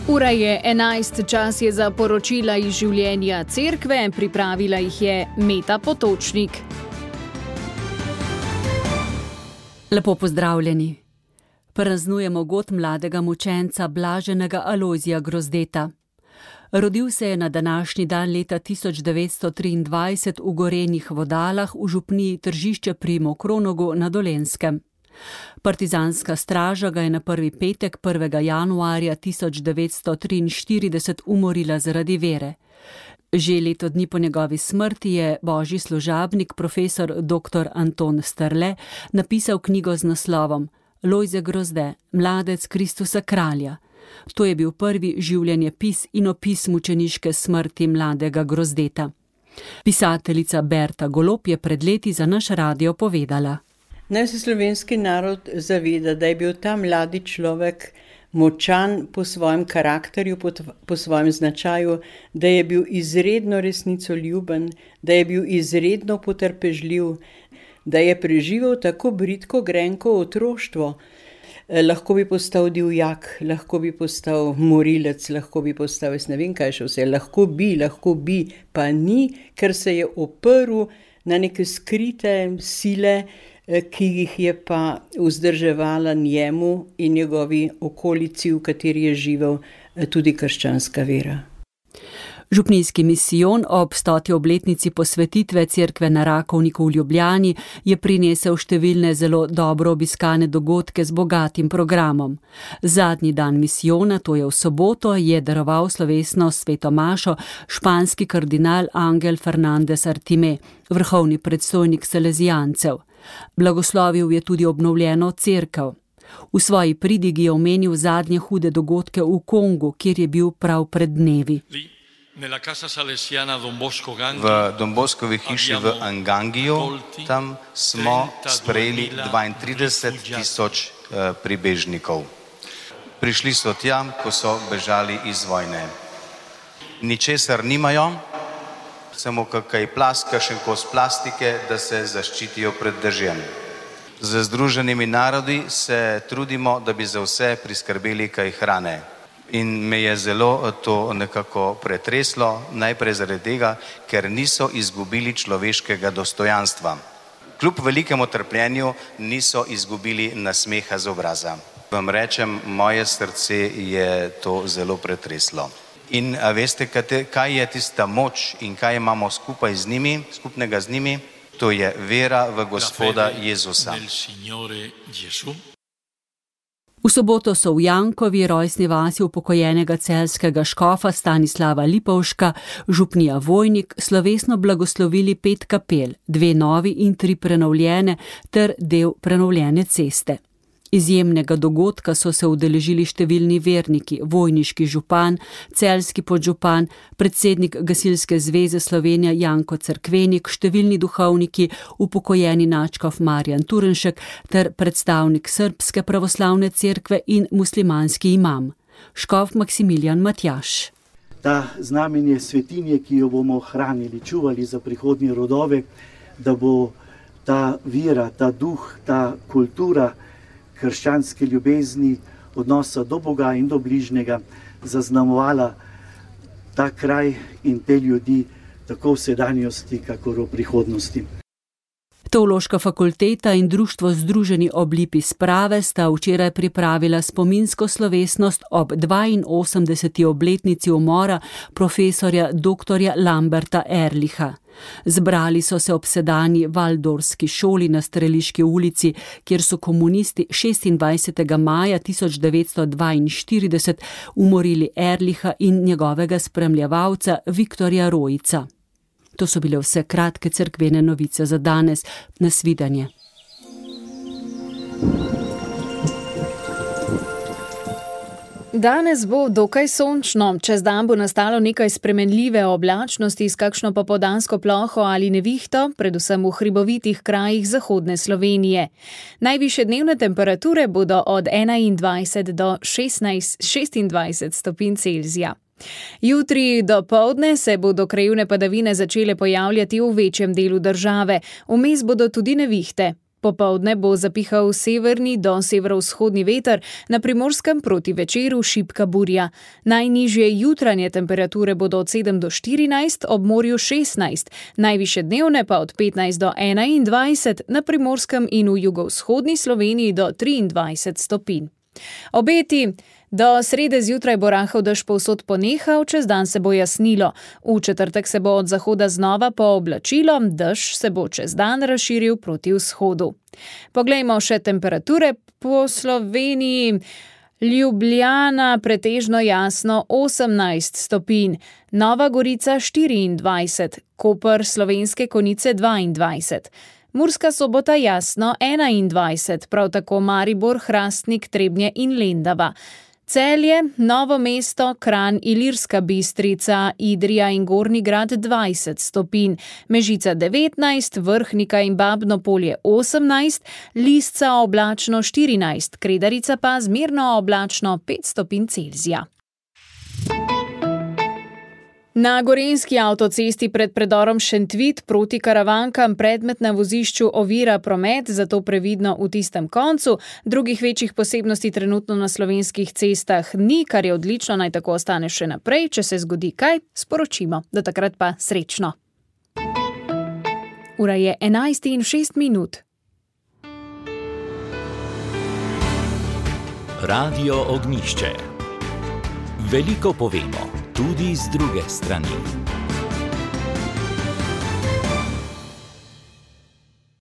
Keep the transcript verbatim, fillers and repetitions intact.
Ura je enajst, čas je za poročila iz življenja cerkve, pripravila jih je Meta Potočnik. Lepo pozdravljeni. Praznujemo god mladega mučenca Blaženega Alojzija Grozdeta. Rodil se je na današnji dan leta tisoč devetsto triindvajset v Gorenjih Vodalah v župniji Tržišče pri Mokronogu na Dolenjskem. Partizanska straža ga je na prvi petek prvega januarja tisoč devetsto triinštirideset umorila zaradi vere. Že leto dni po njegovi smrti je božji služabnik profesor doktor Anton Strle napisal knjigo z naslovom Lojze Grozde, mladec Kristusa kralja. To je bil prvi življenjepis in opis mučeniške smrti mladega Grozdeta. Pisateljica Berta Golob je pred leti za naš radio povedala. Naj se slovenski narod zaveda, da je bil ta mladi človek močan po svojem karakterju, po, po svojem značaju, da je bil izredno resnicoljuben, da je bil izredno potrpežljiv, da je preživel tako bridko grenko otroštvo. Lahko bi postal divjak, lahko bi postal morilec, lahko bi postal, jaz ne vem kaj še vse, lahko bi, lahko bi, pa ni, ker se je oprl na neke skrite sile, ki jih je pa vzdrževala njemu in njegovi okolici, v kateri je živel tudi krščanska vera. Župnijski misijon ob stoti obletnici posvetitve cerkve na Rakovniku v Ljubljani je prinesel številne zelo dobro obiskane dogodke z bogatim programom. Zadnji dan misijona, to je v soboto, je daroval slovesno sveto mašo španski kardinal Angel Fernández Artime, vrhovni predstojnik salezijancev. Blagoslovil je tudi obnovljeno cerkev. V svoji pridigi je omenil zadnje hude dogodke v Kongu, kjer je bil prav pred dnevi. V Don Boskovi hiši v Angangiju, tam smo sprejeli dvaintrideset tisoč pribežnikov. Prišli so tja, ko so bežali iz vojne. Ničesar nimajo, samo kakaj plaska, še kos plastike, da se zaščitijo pred dežjem. Z Združenimi narodi se trudimo, da bi za vse priskrbeli kaj hrane. In me je zelo to nekako pretreslo, najprej zaradi tega, ker niso izgubili človeškega dostojanstva. Kljub velikemu trpljenju niso izgubili nasmeha z obraza. Vam rečem, moje srce je to zelo pretreslo. In a veste, kaj je tista moč in kaj imamo skupaj z njimi, skupnega z njimi? To je vera v Gospoda Jezusa. V soboto so v Jankovi, rojstni vasi upokojenega celjskega škofa Stanislava Lipovška, župnija Vojnik, slovesno blagoslovili pet kapel, dve novi in tri prenovljene ter del prenovljene ceste. Izjemnega dogodka so se udeležili številni verniki, vojniški župan, celjski podžupan, predsednik Gasilske zveze Slovenija Janko Cerkvenik, številni duhovniki, upokojeni nadškof Marjan Turnšek ter predstavnik Srbske pravoslavne cerkve in muslimanski imam, škof Maksimilijan Matjaž. Ta znamenje svetinje, ki jo bomo hranili, čuvali za prihodnje rodove, da bo ta vera, ta duh, ta kultura krščanske ljubezni, odnosa do Boga in do bližnjega zaznamovala ta kraj in te ljudi tako v sedanjosti, kakor v prihodnosti. Teološka fakulteta in društvo Združeni ob lipi sprave sta včeraj pripravila spominsko slovesnost ob dvainosemdeseti obletnici umora profesorja doktorja Lamberta Erlicha. Zbrali so se ob sedanji Valdorski šoli na Streliški ulici, kjer so komunisti šestindvajsetega maja tisoč devetsto dvainštirideset umorili Erlicha in njegovega spremljevalca Viktorja Rojica. To so bile vse kratke cerkvene novice za danes. Nasvidenje. Danes bo dokaj sončno, čez dan bo nastalo nekaj spremenljive oblačnosti s kakšno popoldansko ploho ali nevihto, predvsem v hribovitih krajih zahodne Slovenije. Najvišje dnevne temperature bodo od enaindvajset do šestnajst, šestindvajset stopinj Celzija. Jutri dopoldne se bodo krajevne padavine začele pojavljati v večjem delu države, vmes bodo tudi nevihte. Popoldne bo zapihal severni do severovzhodni veter, na Primorskem proti večeru šibka burja. Najnižje jutranje temperature bodo od sedem do štirinajst, ob morju šestnajst, najvišje dnevne pa od petnajst do enaindvajset, na Primorskem in v jugovzhodni Sloveniji do triindvajset stopinj. Obeti: do srede zjutraj bo rahel dež povsod ponehal, čez dan se bo jasnilo. V četrtek se bo od zahoda znova pooblačilo, dež se bo čez dan razširil proti vzhodu. Poglejmo še temperature po Sloveniji. Ljubljana pretežno jasno osemnajst stopinj, Nova Gorica štiriindvajset, Koper, Slovenske Konjice dvaindvajset. Murska Sobota jasno enaindvajset, prav tako Maribor, Hrastnik, Trebnje in Lendava. Celje, Novo mesto, Kranj, Ilirska Bistrica, Idrija in Gornji Grad dvajset stopinj, Mežica devetnajst, Vrhnika in Babno Polje osemnajst, Lisca oblačno štirinajst, Kredarica pa zmerno oblačno pet stopinj Celzija. Na gorenjski avtocesti pred predorom Šentvit proti Karavankam predmet na vozišču ovira promet, zato previdno v tistem koncu. Drugih večjih posebnosti trenutno na slovenskih cestah ni, kar je odlično, naj tako ostane še naprej. Če se zgodi kaj, sporočimo. Do takrat pa srečno. Ura je enajst in šest minut. Radio Ognjišče. Veliko povemo, tudi z druge strani.